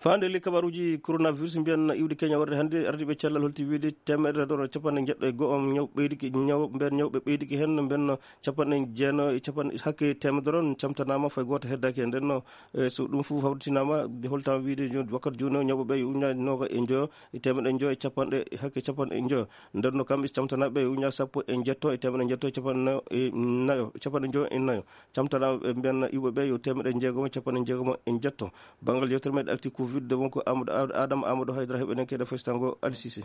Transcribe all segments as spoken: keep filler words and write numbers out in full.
Faande li kabaruuji coronavirus mbiyan iwde Kenya warde hannde, ardiiɓe cellal holti wiide teemedere ɗon e capanɗe jeɗɗo e go'o ñaw ɓeydiki, ñaw, mben ñawɓe ɓeydiki heen, mben capanɗe jeenayo e capanɗe, hakke teemedere on camtanaama, fay gooto heddaaki heen. Nden no, e so ɗum fof hawritinaama, holtaama wiide jo-, wakkati jooni o ñawɓe ɓe uña nooga e njoyo e teemedde njoyo e capanɗe, hakke capanɗe njoyo. Nden no kamɓe camtanaaɓe uña sappo e njetto e teemedde njetto e capanɗe nayo e nayo, capanɗe njoyo e nayo. Camtanaaɓe ɓe mbiyan iwɓe ɓe yo teemedde jeegomo e capanɗe jeegomo e njetto. Banngal yewtere meɗen acti covid, wonko Amadou Ad-, Adama Amadou Haydara heɓenen kede festango Ali Cissé.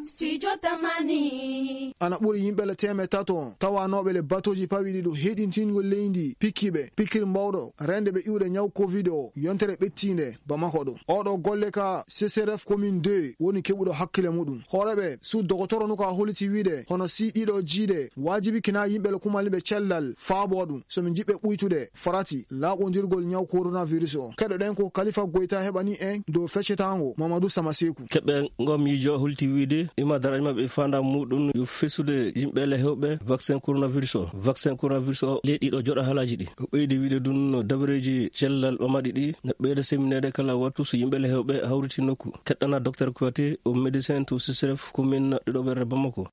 Studio Tamani. Ana ɓuri yimɓe le teemeɗɗe tato tawanooɓe le batooji pawiɗi ɗo heɗintingol leydi pikkiɓe pikkiri mbawɗo rende ɓe iwde ñaw covid o yontere ɓettiinde Bamako ɗo. Oɗo golle ka C C R F commune deux woni keɓuɗo hakkile muɗum. Hooreɓe su dogotoro no ka holiti wiide hono si ɗiɗo jiide waajibi kina yimɓe le kumal ɓe cellal faabo ɗum. So min jiɓɓe ɓuytude farati laaɓondirgol ñaw coronavirus o. Keɗoɗen ko Khalifa Goyta heɓani en dow feccetango Mamadou Samaseku. Keɓe ngo miijo holti wiide ima daraja maɓɓe e faandaare muɗum yo fesude yimɓe le hewɓe vaccin coronavirus o. Vaccin coronavirus o leyɗi ɗo joɗa haalaaji ɗi. O ɓeydi wiide ɗum no dabareeji cellal ɓamaɗi ɗi na ɓeyda semineede kala wattu so yimɓe le hewɓe hawriti nokku. Keɗɗana Docteur Kouyaté, o médecin to C C R F commune ɗiɗo ɓerre Bamako.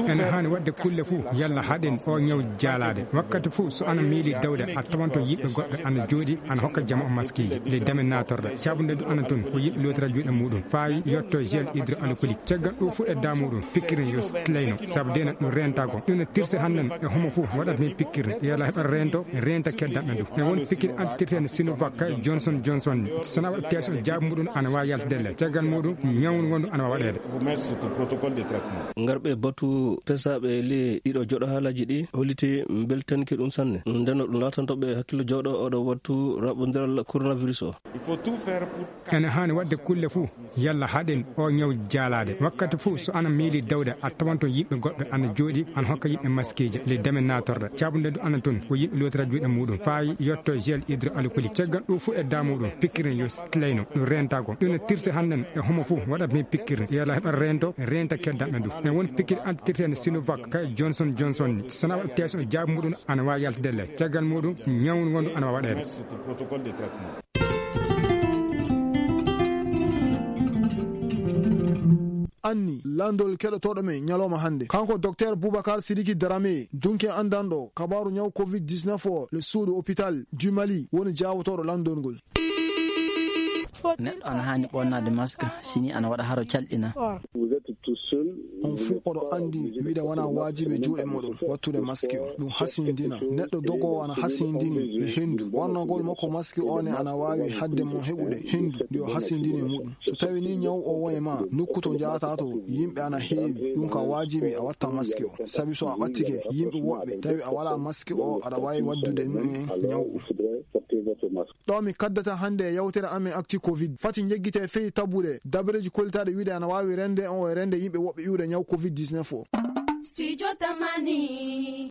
Ene haani waɗde kulle fuu yalla haɗen o ñaw jaalaade. Wakkati fuu so ana miili dawde a tawanto yiɓɓe goɗɓe ana jooɗi ana hokka jama o maskiiji. Ley damen naatorɗe caabunde du ana toon ko yiɓɓe lootira juuɗe muɗum faawi yetto gel hydroalcoolique. Caggal ɗo fuu e daamuɗum pikkirin yo sleyno sabu dena ɗum rentagol. Ɗum no tirse hannden e homo fuu waɗat min pikkirde yalla heɓa rento renta keddanɓe du. E won pikkir antirte no Sinovac kay Johnson Johnson ni. Sona waɗa test o jaabu muɗum ana waawi yaltede le. Caggal muɗum ñawnu wondu ana waawi waɗeede. Ngarɓe batu pesaaɓe le ɗiɗo joɗo haalaji ɗi holliti mbeltanki ɗum sanne. Ndeno ɗum laatanto ɓe hakkillo jooɗo oɗo wattu raɓɓodiral coronavirus o. Ene haani waɗde kulle fuu yalla haɗen o ñaw jaalaade. Wakkati fuu so ana miili dawde a tawanto yiɓɓe goɗɓe ana jooɗi ana hokka yiɓɓe maskiiji. Ley damen naatorɗe caabunde du ana toon ko yiɓɓe lootira juuɗe muɗum faawi yetto gel hydroalcoolique. Caggal ɗo fuu e daamuɗum pikkirin yo sleyno ɗum rentagol. Ɗum no tirse hannden e homo fuu waɗat min pikkirde yalla heɓa rento renta keddanɓe du. E won pikkir antirte no Sinovac kay Johnson Johnson ni. Sona waɗa test o jaabu muɗum ana waawi yaltede le. Caggal muɗum ñawnu wondu ana waawi waɗeede. Anni landol keɗotooɗo men ñalawma hannde kanko Docteur Boubacar Sidiki Darame dunke anndanɗo kabaaru ñaw covid dix-neuf o le suudu hôpital du Mali woni jaawotooɗo landol ngol. Neɗɗo ana haani ɓonnaade mask sini ana waɗa haro calɗina. On fuu oɗo anndi wiide wona waajibi juuɗe muɗum wattude maski o. Ɗum hasindina neɗɗo dogowo ana hasindini e henndu. Ɓornagol makko maski o ne ana waawi hadde mo heɓude henndu ndi o hasindini e muɗum. So tawi ni ñaw o won e ma nokku to njahata to yimɓe ana heewi, ɗum ka waajibi a watta maski o. Sabi so a ɓattike yimɓe woɓɓe tawi a wala maski o aɗa waawi waddude ɗum en ñaw o. Ɗo mi kaddata hannde e yawtere amen actu covid. Fati jeggite fii tabude dabareeji kollitaaɗe wiide ana waawi rende on e rende yimɓe woɓɓe iwde ñaw covid dix-neuf o. Studio Tamani.